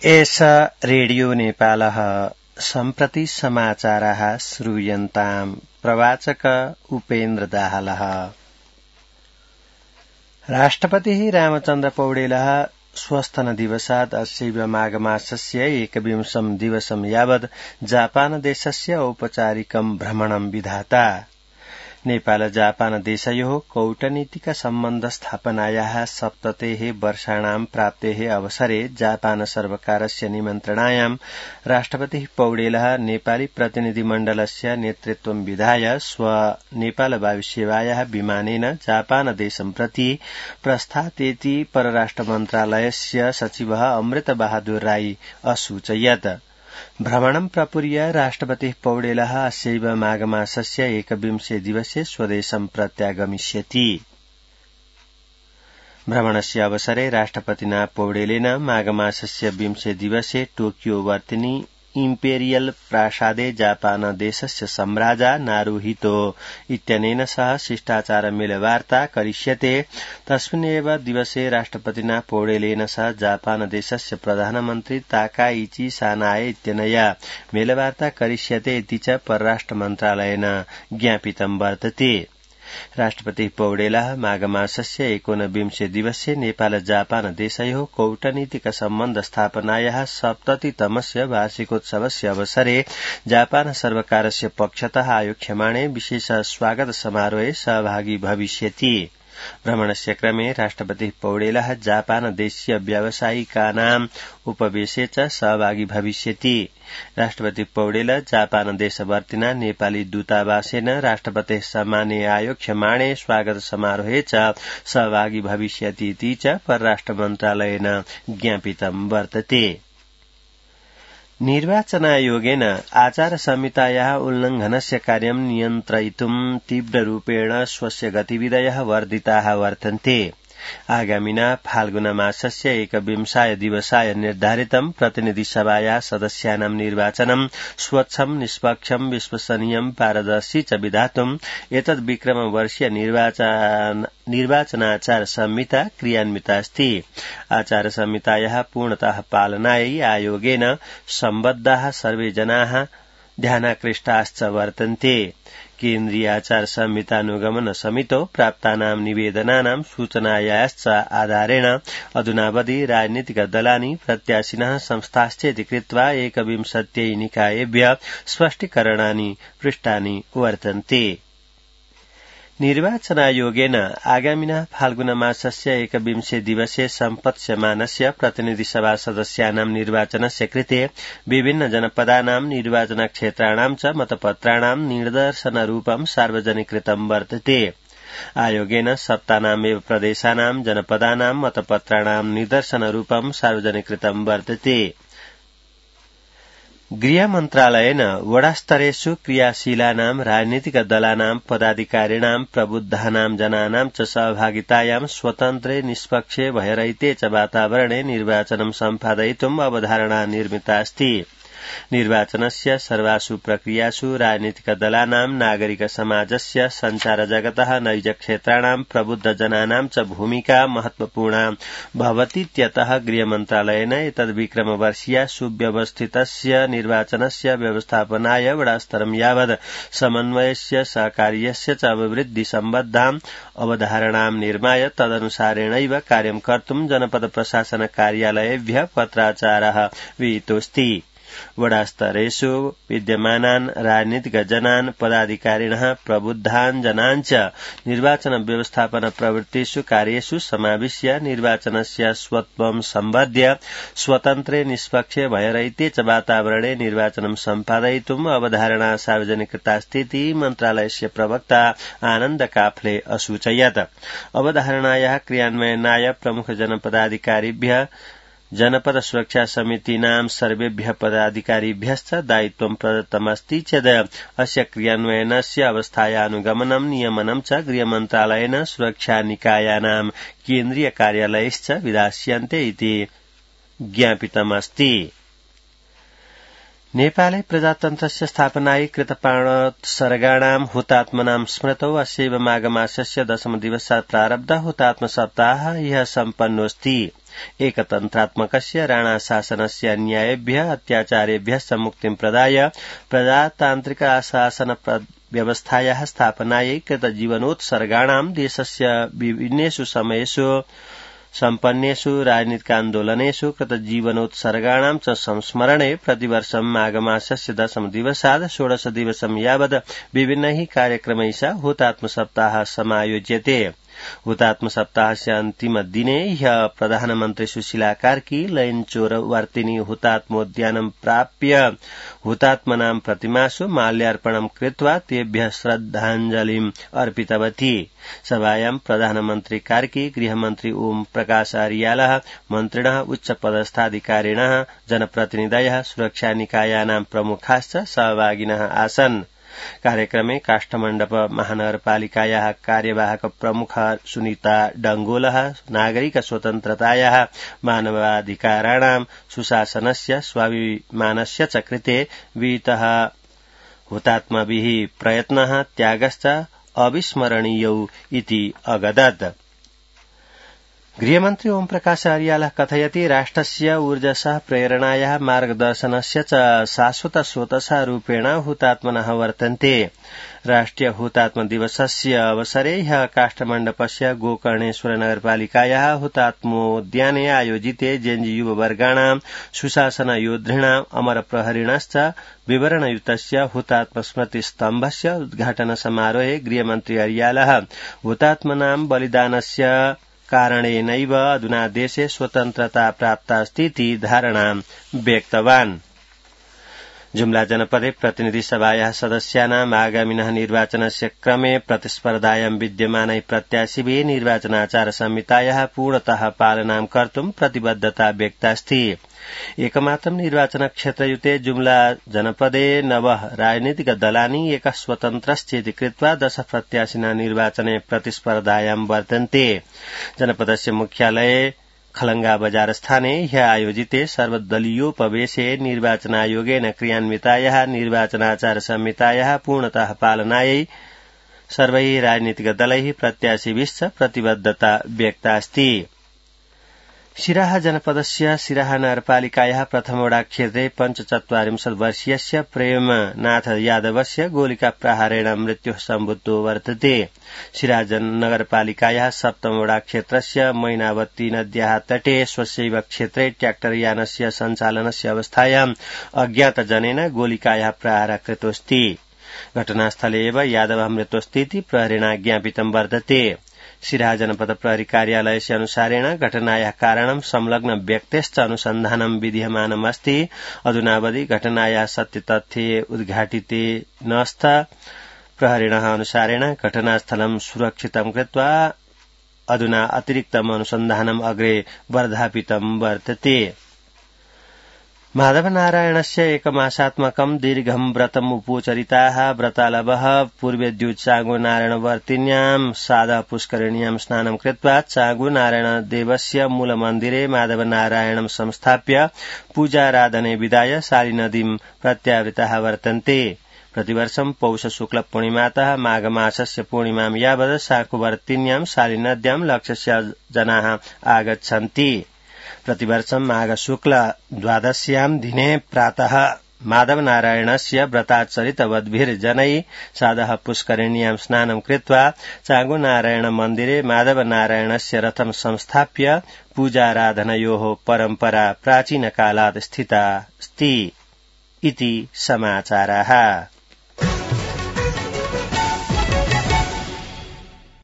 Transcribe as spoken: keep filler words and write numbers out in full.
एषा रेडियो नेपालः सम्प्रति समाचाराः श्रूयन्ताम्। प्रवाचक उपेन्द्र दाहालः। राष्ट्रपतिः रामचन्द्र पौडेलः स्वस्थनदिवसात् अस्यैव माघमासस्य एकविंशं दिवसं यावत् जापान देशस्य औपचारिकं भ्रमणं विधाता। नेपाल जापान देशयोः कूटनीतिक सम्बन्ध स्थापनायाः सप्ततेः वर्षाणां प्राप्तेः अवसरे जापान सर्वकारस्य निमन्त्रणायां राष्ट्रपतिः पौडेलः नेपाली प्रतिनिधिमण्डलस्य नेतृत्वं विधाय स्व नेपाल वायुसेवायाः विमानेन जापान देशं प्रति प्रस्थातेति परराष्ट्र मन्त्रालयस्य सचिवः अमृत बहादुर राई असूचयत्। भ्रमणं प्रपूर्य राष्ट्रपतिः पौडेलः अस्यैव माघमासस्य एकविंशे दिवसे स्वदेशं प्रत्यागमिष्यति। भ्रमणस्य अवसरे राष्ट्रपतिना पौडेलेन माघमासस्य विंशे दिवसे टोकियो वर्तिनी इम्पेरियल प्रासादे जापान देशस्य सम्राजा नारुहितो इत्यनेन सह शिष्टाचार मेलवार्ता करिष्यते। तस्मिन्नेव दिवसे राष्ट्रपतिना पौडेलेन सह जापान देशस्य प्रधानमन्त्री ताकाइची सानाए इत्यनया मेलवार्ता करिष्यते इति च परराष्ट्र मन्त्रालयेन ज्ञापितं वर्तते। राष्ट्रपतिः पौडेलः माघमासस्य एकोनविंशे दिवसे नेपाल जापान देशयोः कूटनीतिक सम्बन्ध स्थापनायाः सप्ततितमस्य वार्षिकोत्सवस्य अवसरे जापान सर्वकारस्य पक्षतः आयोक्ष्यमाणे विशेष स्वागत समारोहे सहभागी भविष्यति। भ्रमणस्य क्रमे राष्ट्रपतिः पौडेलः जापान देशीय व्यावसायिकानाम् उपवेशे च सहभागी भविष्यति। राष्ट्रपति पौडेल जापान देशवर्तिना नेपाली दूतावासेन राष्ट्रपतेः सम्माने आयोक्ष्यमाणे स्वागत समारोहे च सहभागी भविष्यति इति च परराष्ट्र मन्त्रालयेन ज्ञापितं वर्तते। निर्वाचनायोगेन आचार संहितायाः उल्लंघनस्य कार्यं नियन्त्रयितुं तीव्ररूपेण स्वस्य गतिविधयः वर्धिताः वर्तन्ते। आगामिना फाल्गुन मासस्य एकविंशाय दिवसाय निर्धारितं प्रतिनिधिसभायाः सदस्यानां निर्वाचनं स्वच्छं निष्पक्षं विश्वसनीयं पारदर्शी च विधातुम् एतद् विक्रमवर्षीय निर्वाचन निर्वाचनाचार संहिता क्रियान्विता अस्ति। आचार संहितायाः पूर्णतः पालनायै आयोगेन सम्बद्धाः सर्वे जनाः ध्यानाकृष्टाश्च वर्तन्ते। केन्द्रीय आचार संहितानुगमन समितौ प्राप्तानां निवेदनानां सूचनायाश्च आधारेण अधुनावधि राजनीतिक दलानि प्रत्याशिनः संस्थाश्चेति कृत्वा एकविंशत्यै निकायेभ्यः स्पष्टीकरणानि पृष्टानि वर्तन्ते। निर्वाचनायोगेन आगामिना फाल्गुन मासस्य एकविंशे दिवसे सम्पत्स्यमानस्य प्रतिनिधिसभा सदस्यानां निर्वाचनस्य कृते विभिन्न जनपदानां निर्वाचनक्षेत्राणां च मतपत्राणां निर्दर्शनरूपं सार्वजनिकृतं वर्तते। आयोगेन सप्तानामेव प्रदेशानां जनपदानां मतपत्राणां निर्दर्शनरूपं सार्वजनिकृतं वर्तते। गृहमन्त्रालयेन वडास्तरेषु क्रियाशीलानां राजनीतिक दलानां पदाधिकारिणां प्रबुद्धानां जनानां च सहभागितायां स्वतन्त्रे निष्पक्षे भयरहिते च वातावरणे निर्वाचनं सम्पादयितुम् अवधारणा निर्मिता अस्ति। निर्वाचनस्य सर्वासु प्रक्रियासु राजनीतिक दलानां नागरिक समाजस्य संचार जगतः नैजक्षेत्राणां प्रबुद्ध जनानां च भूमिका महत्वपूर्णा भवतीत्यतः गृहमन्त्रालयेन एतद्विक्रमवर्षीय सुव्यवस्थितस्य निर्वाचनस्य व्यवस्थापनाय वडास्तरं यावत् समन्वयस्य सहकार्यस्य च अभिवृद्धि सम्बद्धाम् अवधारणां निर्माय तदनुसारेणैव कार्यं कर्तुं जनपद प्रशासन कार्यालयेभ्यः पत्राचारः विहितोऽस्ति। वडास्तरेषु विद्यमानान् राजनीतिक जनान् पदाधिकारिणः प्रबुद्धान् जनान् च निर्वाचन व्यवस्थापन प्रवृत्तिषु कार्येषु समाविश्य निर्वाचनस्य स्वत्वं सम्बध्य स्वतन्त्रे निष्पक्षे भयरहिते च वातावरणे निर्वाचनं सम्पादयितुम् अवधारणा सार्वजनिकृतास्ति इति मन्त्रालयस्य प्रवक्ता आनन्द काफले असूचयत्। अवधारणायाः क्रियान्वयनाय प्रमुख जनपदाधिकारिभ्यः जनपद सुरक्षा समितीनां सर्वेभ्यः पदाधिकारिभ्यश्च दायित्वं प्रदत्तमस्ति चेद् अस्य क्रियान्वयनस्य अवस्थायानुगमनं नियमनं च गृहमन्त्रालयेन सुरक्षानिकायानां केन्द्रीय कार्यालयैश्च विधास्यन्ते इति ज्ञापितमस्ति। नेपाले प्रजातन्त्रस्य स्थापनायै कृतप्राणोत्सर्गाणां हुतात्मनां स्मृतौ अस्यैव माघमासस्य दशमदिवसात् प्रारब्धः हुतात्म सप्ताहः ह्यः सम्पन्नोऽस्ति। एकतन्त्रात्मकस्य राणाशासनस्य अन्यायेभ्यः अत्याचारेभ्यश्च मुक्तिं प्रदाय प्रजातान्त्रिक शासन व्यवस्थायाः स्थापनायै कृतजीवनोत्सर्गाणां देशस्य विभिन्नेषु समयेषु सम्पन्नेषु राजनीतिकान्दोलनेषु कृतजीवनोत्सर्गाणां च संस्मरणे प्रतिवर्षं माघमासस्य दशमदिवसात् षोडशदिवसं यावत् विभिन्नैः कार्यक्रमैः हुतात्मसप्ताहः समायोज्यते। हुतात्मसप्ताहस्य अन्तिमदिने ह्यः प्रधानमन्त्री सुशीला कार्की लैनचोरवर्तिनी हुतात्मोद्यानं प्राप्य हुतात्मनां प्रतिमासु माल्यार्पणं कृत्वा तेभ्यः श्रद्धाञ्जलिम् अर्पितवती। सभायां प्रधानमन्त्री कार्की, गृहमन्त्री ओम प्रकाश अर्यालः, मन्त्रिणः, उच्चपदस्थाधिकारिणः, जनप्रतिनिधयः, सुरक्षानिकायानां प्रमुखाश्च सहभागिनः आसन्। कार्यक्रमे काष्ठमण्डप महानगरपालिकायाः कार्यवाहक प्रमुख सुनीता डंगोलः नागरिक स्वतन्त्रतायाः, मानवाधिकाराणां, सुशासनस्य, स्वाभिमानस्य च कृते विहितः हुतात्मभिः प्रयत्नः त्यागश्च अविस्मरणीयौ इति अगदत्। गृहमन्त्री ओम प्रकाश अर्यालः कथयति राष्ट्रस्य ऊर्जसः प्रेरणायाः मार्गदर्शनस्य च शाश्वत स्रोतसः रूपेण हुतात्मनः वर्तन्ते। राष्ट्रिय हुतात्म दिवसस्य अवसरे ह्यः काष्ठमण्डपस्य गोकर्णेश्वर नगरपालिकायाः हुतात्मोद्याने आयोजिते जेएनयू युववर्गाणां सुशासन योद्धॄणां अमरप्रहरिणश्च विवरणयुतस्य हुतात्म स्मृति स्तम्भस्य उद्घाटन समारोहे गृहमन्त्री अर्यालः हुतात्मनां बलिदानस्य कारणेनैव अधुना देशे स्वतन्त्रता प्राप्तास्तीति धारणां व्यक्तवान्। जुम्ला जनपदे प्रतिनिधि सभायाः सदस्यानाम् आगामिनः निर्वाचनस्य क्रमे प्रतिस्पर्धायां विद्यमानैः प्रत्याशिभिः निर्वाचनाचार संहितायाः पूर्णतः पालनां कर्तुं प्रतिबद्धता व्यक्तास्ति। एकमात्रं निर्वाचन क्षेत्रयुते जुम्ला जनपदे नव राजनीतिक दलानि एकः स्वतन्त्रश्चेति कृत्वा दश प्रत्याशिनः निर्वाचने प्रतिस्पर्धायां वर्तन्ते। जनपदस्य मुख्यालये खलंगा बजार स्थाने ह्यः आयोजिते सर्वदलीयोपवेशे निर्वाचनायोगेन क्रियान्वितायाः निर्वाचनाचार संहितायाः पूर्णतः पालनायै सर्वैः राजनीतिक दलैः प्रत्याशिभिश्च प्रतिबद्धता व्यक्तास्ति। सिराहा जनपदस्य सिराहा नगरपालिकायाः प्रथमवडा क्षेत्रे पञ्चचत्वारिंशत् वर्षीयस्य प्रेमनाथ यादवस्य गोलिका प्रहारेण मृत्युः सम्भूतो वर्तते। सिराहा नगरपालिकायाः सप्तमवडा क्षेत्रस्य मैनावती नद्याः तटे स्वस्यैव क्षेत्रे ट्रैक्टरयानस्य सञ्चालनस्य अवस्थायाम् अज्ञातजनेन गोलिकायाः प्रहारः कृतोऽस्ति। घटनास्थले एव यादवः मृतोऽस्तीति प्रहरेण ज्ञापितं वर्तते। सिराहा जनपद प्रहरी कार्यालयस्य अनुसारेण घटनायाः कारणं संलग्न व्यक्तेश्च अनुसन्धानं विधीयमानमस्ति। अधुनावधि घटनायाः सत्यतथ्ये उद्घाटिते नस्त। प्रहरिणः अनुसारेण घटनास्थलं सुरक्षितं कृत्वा अधुना अतिरिक्तम् अनुसन्धानम् अग्रे वर्धापितं वर्तते। माधवनारायणस्य एकमासात्मकं दीर्घं व्रतम् उपोचरिताः व्रतालवः पूर्वेद्यु चांगुनारायणवर्तिन्यां साधः पुष्करिण्यां स्नानं कृत्वा चांगुनारायणदेवस्य मूलमन्दिरे माधवनारायणं संस्थाप्य पूजाराधने विदाय शालिनदीं प्रत्यावृताः वर्तन्ते। प्रतिवर्षं पौष शुक्ल पूर्णिमातः माघमासस्य पूर्णिमां यावत् शाकुवर्तिन्यां शालिनद्यां लक्षस्य जनाः आगच्छन्ति। प्रतिवर्षं माघ शुक्ल द्वादश्यां दिने प्रातः माधवनारायणस्य व्रताचरितवद्भिर्जनैः साधः पुष्करिण्यां स्नानं कृत्वा चांगुनारायण मन्दिरे माधवनारायणस्य रथं संस्थाप्य पूजाराधनयोः परम्परा प्राचीनकालात् स्थिता अस्ति इति समाचाराः।